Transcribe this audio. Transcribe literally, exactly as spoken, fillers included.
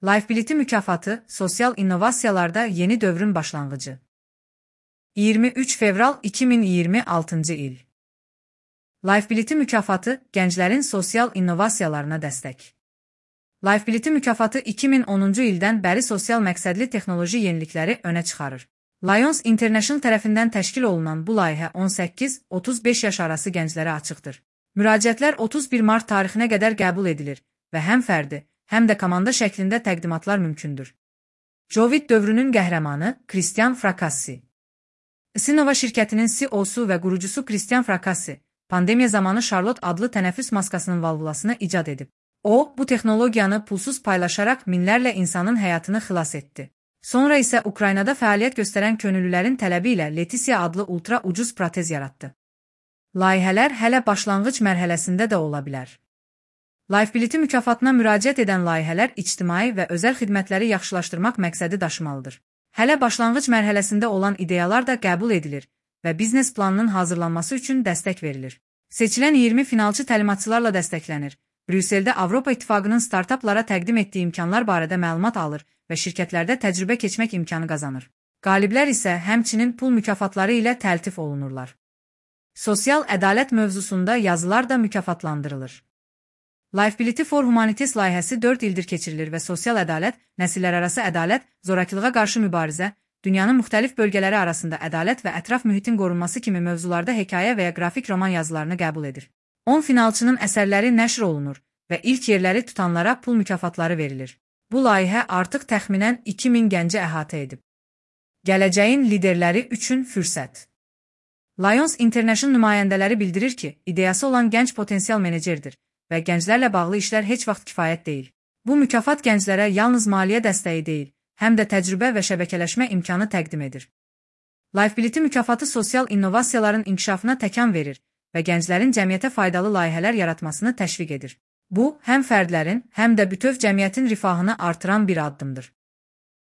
Lifebility mükafatı, sosial innovasiyalarda yeni dövrün başlanğıcı. iyirmi üç fevral iki min iyirmi altıncı il. Lifebility mükafatı, gənclərin sosial innovasiyalarına dəstək. Lifebility mükafatı iki min onuncu ildən bəri sosial məqsədli texnoloji yenilikləri önə çıxarır. Lions International tərəfindən təşkil olunan bu layihə on səkkiz otuz beş yaş arası gənclərə açıqdır. Müraciətlər otuz bir mart tarixinə qədər qəbul edilir və həm fərdi, həm də komanda şəklində təqdimatlar mümkündür. Covid dövrünün qəhrəmanı Christian Fracassi. Sinova şirkətinin C E O-su və qurucusu Christian Fracassi, pandemiya zamanı Charlotte adlı tənəffüs maskasının valvulasını icad edib. O, bu texnologiyanı pulsuz paylaşaraq minlərlə insanın həyatını xilas etdi. Sonra isə Ukraynada fəaliyyət göstərən könüllülərin tələbi ilə Leticia adlı ultra ucuz protez yaratdı. Layihələr hələ başlanğıc mərhələsində də ola bilər. Lifebility mükafatına müraciət edən layihələr ictimai və özəl xidmətləri yaxşılaşdırmaq məqsədi daşımalıdır. Hələ başlanğıc mərhələsində olan ideyalar da qəbul edilir və biznes planının hazırlanması üçün dəstək verilir. Seçilən iyirmi finalçı təlimatçılarla dəstəklənir. Brüsseldə Avropa İttifaqının startaplara təqdim etdiyi imkanlar barədə məlumat alır və şirkətlərdə təcrübə keçmək imkanı qazanır. Qaliblər isə həmçinin pul mükafatları ilə təltif olunurlar. Sosial ədalət mövzusunda yazılar da mükafatlandırılır. Lifebility for Humanities layihəsi dörd ildir keçirilir və sosial ədalət, nəsillərarası ədalət, zorakılığa qarşı mübarizə, dünyanın müxtəlif bölgələri arasında ədalət və ətraf mühitin qorunması kimi mövzularda hekayə və ya qrafik roman yazılarını qəbul edir. on finalçının əsərləri nəşr olunur və ilk yerləri tutanlara pul mükafatları verilir. Bu layihə artıq təxminən iki min gənci əhatə edib. Gələcəyin liderləri üçün fürsət. Lions International nümayəndələri bildirir ki, ideyası olan gənc potensial menecerdir və gənclərlə bağlı işlər heç vaxt kifayət deyil. Bu mükafat gənclərə yalnız maliyyə dəstəyi deyil, həm də təcrübə və şəbəkələşmə imkanı təqdim edir. Lifebility mükafatı sosial innovasiyaların inkişafına təkan verir və gənclərin cəmiyyətə faydalı layihələr yaratmasını təşviq edir. Bu, həm fərdlərin, həm də bütöv cəmiyyətin rifahını artıran bir addımdır.